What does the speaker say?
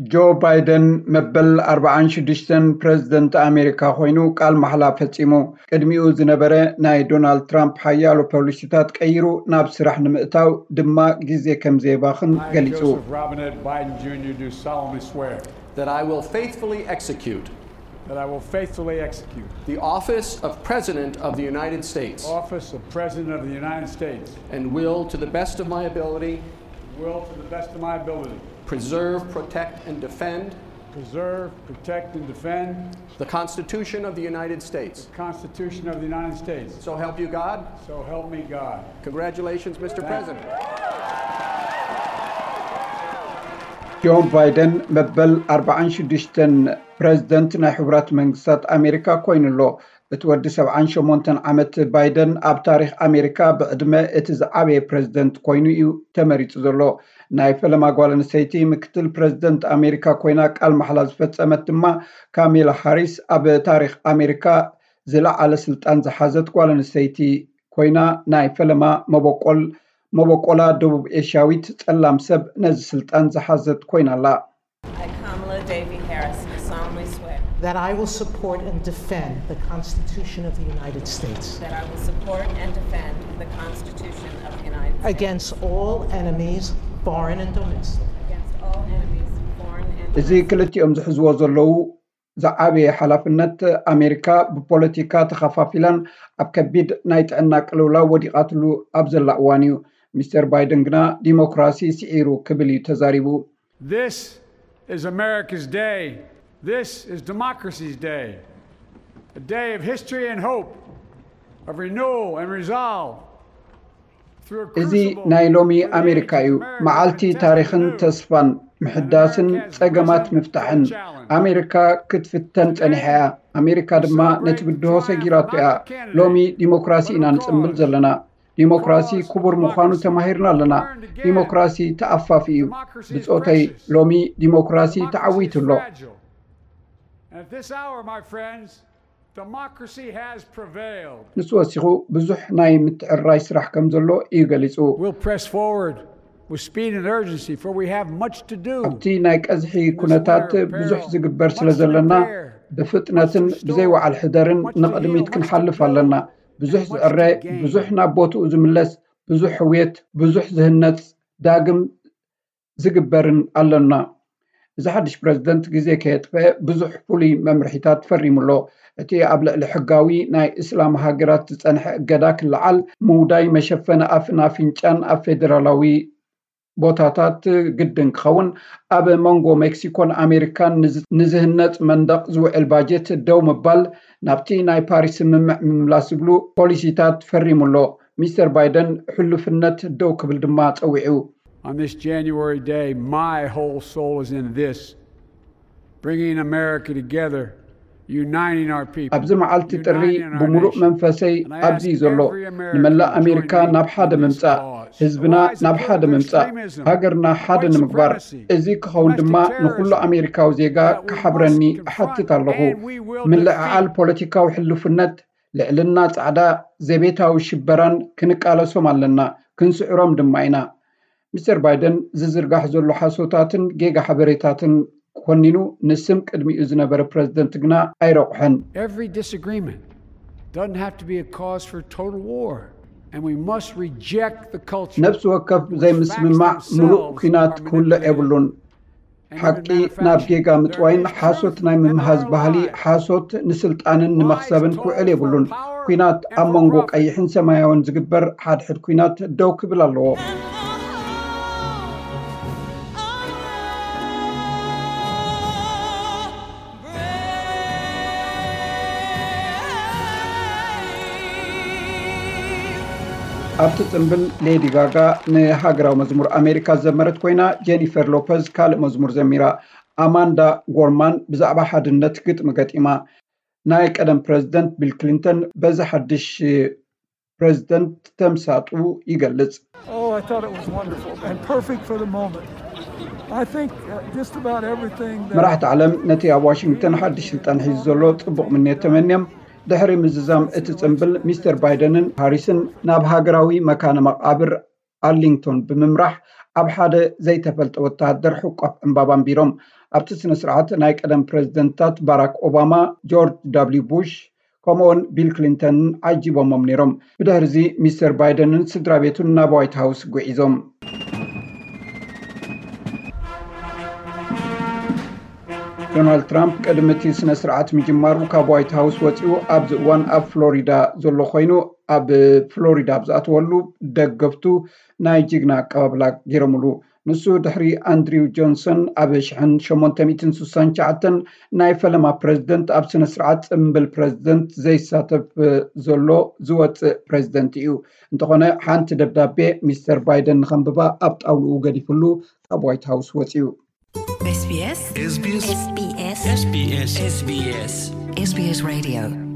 ጆ ባይደን መበል ኣርባዓን ሽዱሽተን ፕረዚደንት ኣሜሪካ ኮይኑ ቃል ማሕላ ፈጺሙ። ቅድሚኡ ዝነበረ ናይ ዶናልድ ትራምፕ ሓያሎ ፖሊሲታት ቀይሩ ናብ ስራሕ ንምእታው ድማ ግዜ ከም ዘየባኽን ገሊጹ። Joseph Robinette Biden Junior do solemnly swear That I will faithfully execute that I will faithfully execute the office of President of the United States the office of President of the United States and will, to the best of my ability, will to the best of my ability preserve, protect, and defend preserve, protect, and defend the Constitution of the United States. the Constitution of the United States. So help you God. So help me God. Congratulations, Mister President. ጆ ባይደን መበል ኣርባዓን ሽዱሽተን ፕረዚደንት ናይ ሕቡራት መንግስታት ኣሜሪካ ኮይኑ ኣሎ። እቲ ወዲ ሰብዓን ሸሞንተን ዓመት ባይደን ኣብ ታሪኽ ኣሜሪካ ብዕድመ እቲ ዝዓበየ ፕረዚደንት ኮይኑ እዩ ተመሪጹ ዘሎ። ናይ ፈለማ ጓል ኣንስተይቲ ምክትል ፕረዚደንት ኣሜሪካ ኮይና ቃል ማሕላ ዝፈጸመት ድማ ካሜላ ሃሪስ ኣብ ታሪኽ ኣሜሪካ ዝለዓለ ስልጣን ዝሓዘት ጓል ኣንስተይቲ ኮይና ናይ ፈለማ መበቆል መበቆላ ደቡብ ኤሽያዊት ጸላም ሰብ ነዚ ስልጣን ዝሓዘት ኮይና ኣላ። I, Kamala Devi Harris, do solemnly swear That I will support and defend the Constitution of the United States that I will support and defend the Constitution of the United States against all enemies, foreign and domestic, against all enemies, foreign and እዚ domestic. ክልቲኦም ዝሕዝዎ ዘለዉ ዝዓበየ ሓላፍነት፣ ኣሜሪካ ብፖለቲካ ተኸፋፊላን ኣብ ከቢድ ናይ ጥዕና ቅልውላው ወዲቓትሉ ኣብ ዘላ እዋን እዩ። ሚስተር ባይደን ግና ዲሞክራሲ ስዒሩ ክብል እዩ ተዛሪቡ። This is America's day. This is democracy's day. A day of history and hope, of renewal and resolve. Through a እዚ crucible ናይ ሎሚ for the ኣሜሪካ ages, እዩ። America መዓልቲ contends ታሪኽን to do ተስፋን፣ ምሕዳስን ጸገማት ምፍታሕን። ኣሜሪካ ክትፍተን ጸኒሓ እያ። ኣሜሪካ ድማ ነቲ ብድሆ ሰጊራቶ እያ። ሎሚ ዲሞክራሲ ኢና ንጽምብል ዘለና። ዲሞክራሲ ክቡር ምዃኑ ተማሂርና ኣለና። ዲሞክራሲ ተኣፋፊ እዩ። ብጾተይ፣ ሎሚ ዲሞክራሲ ተዓዊቱ ኣሎ። And at this hour, my friends, democracy has prevailed. ንሱ ወሲኹ ብዙሕ ናይ ምትዕርራይ ስራሕ ከም ዘሎ እዩ ገሊጹ። We'll press forward with speed and urgency, for we have much to do. ኣብቲ ናይ ቀዝሒ ኩነታት ብዙሕ ዝግበር ስለ ዘለና፣ ብፍጥነትን ብዘይ ወዓል ሕደርን ንቕድሚት ክንሓልፍ ኣለና። ብዙሕ ዝዕረ፣ ብዙሕ ናብ ቦትኡ ዝምለስ፣ ብዙሕ ሕውየት፣ ብዙሕ ዝህነጽ፣ ዳግም ዝግበርን ኣለና። እዚ ሓድሽ ፕረዚደንት ግዜ ከየጥፈአ ብዙሕ ፍሉይ መምርሒታት ፈሪሙ ኣሎ። እቲ ኣብ ልዕሊ ሕጋዊ ናይ እስላም ሃገራት ዝጸንሐ እገዳ ክለዓል፣ ምውዳይ መሸፈኒ ኣፍን ኣፍንጫን ኣብ ፌደራላዊ ቦታታት ግድን ክኸውን፣ ኣብ መንጎ ሜክሲኮን ኣሜሪካን ንዝ- ንዝህነጽ መንደቕ ዝውዕል ባጀት ደው ምባል፣ ናብቲ ናይ ፓሪስ ስምምዕ ምምላስ ዝብሉ ፖሊሲታት ፈሪሙ ኣሎ። ሚስተር ባይደን ሕሉፍነት ደው ክብል ድማ ጸዊዑ። On this January day, my whole soul is in this, bringing America together, uniting our people. ኣብዚ መዓልቲ ጥሪ ብምሉእ መንፈሰይ ኣብዚ እዩ ዘሎ። ንመላእ ኣሜሪካ ናብ ሓደ ምምጻእ፣ ህዝብና ናብ ሓደ ምምጻእ፣ ሃገርና ሓደ ንምግባር። እዚ ክኸውን ድማ ንኹሉ ኣሜሪካዊ ዜጋ ክሓብረኒ እሓትት ኣለኹ። ምልዕዓል ፖለቲካዊ ሕሉፍነት፣ ልዕልና ጻዕዳ፣ ዘቤታዊ ሽበራን ክንቃለሶም ኣለና፣ ክንስዕሮም ድማ ኢና። ሚስተር ባይደን ዝዝርጋሕ ዘሎ ሓሶታትን ጌጋ ሓበሬታትን ኮኒኑ፣ ንስም ቅድሚኡ ዝነበረ ፕረዚደንት ግና ኣይረቑሐን። Every disagreement doesn't have to be a cause for total war, and we must reject the culture. ነፍሲ ወከፍ ዘይምስምማዕ ምሉእ ኲናት ክውልዕ የብሉን። ሓቂ ናብ ጌጋ ምጥዋይን ሓሶት ናይ ምምሃዝ ባህሊ፣ ሓሶት ንስልጣንን ንመኽሰብን ክውዕል የብሉን። ኲናት ኣብ መንጎ ቀይሕን ሰማያውን ዝግበር ሓድሕድ ኲናት ደው ክብል ኣለዎ። ኣብቲ ጽምብል ሌዲ ጋጋ ንሃገራዊ መዝሙር ኣሜሪካ ዝዘመረት ኮይና፣ ጄኒፈር ሎፐዝ ካልእ መዝሙር ዘሚራ። ኣማንዳ ጎርማን ብዛዕባ ሓድነት ግጥሚ ገጢማ። ናይ ቀደም ፕረዚደንት ቢል ክሊንተን በዚ ሓድሽ ፕረዚደንት ተምሳጡ ይገልጽ። Oh, I thought it was wonderful and perfect for the moment. I think uh, just about everything that መራሕቲ ዓለም ነቲ ኣብ ዋሽንግተን ሓድሽ ስልጣን ሒዙ ዘሎ ጽቡቕ ምንየት ተመንዮም፣ ድሕሪ ምዝዛም እቲ ጽምብል፣ ሚስተር ባይደንን ሃሪስን ናብ ሃገራዊ መካነ መቓብር ኣርሊንግቶን ብምምራሕ ኣብ ሓደ ዘይተፈልጠ ወተሃደር ሕቋፍ ዕምባባ ኣንቢሮም። ኣብቲ ስነ ስርዓት ናይ ቀደም ፕሬዝደንትታት ባራክ ኦባማ፣ ጆርጅ ደብሊው ቡሽ፣ ከምኡውን ቢል ክሊንተንን ዓጂቦሞም ነይሮም። ብድሕርዚ ሚስተር ባይደንን ስድራ ቤቱን ናብ ዋይት ሃውስ ጉዒዞም። ዶናልድ ትራምፕ ቅድሚ እቲ ስነ ስርዓት ምጅማሩ ካብ ዋይት ሃውስ ወፂኡ ኣብዚ እዋን ኣብ ፍሎሪዳ ዘሎ ኮይኑ፣ ኣብ ፍሎሪዳ ኣብ ዝኣተወሉ ደገፍቱ ናይ ጅግና ኣቀባብላ ገይሮምሉ። ንሱ ድሕሪ ኣንድሪው ጆንሰን ኣብ ሽሕን ሸሞንተ ሚእትን ስሳን ትሽዓተን ናይ ፈለማ ፕሬዝደንት ኣብ ስነ ስርዓት ጽምብል ፕሬዝደንት ዘይሳተፍ ዘሎ ዝወጽእ ፕሬዝደንት እዩ። እንተኾነ ሓንቲ ደብዳቤ ሚስተር ባይደን ንኸንብባ ኣብ ጣውልኡ ገዲፍሉ ካብ ዋይት ሃውስ ወጺኡ። SBS SBS SBS SBS SBS Radio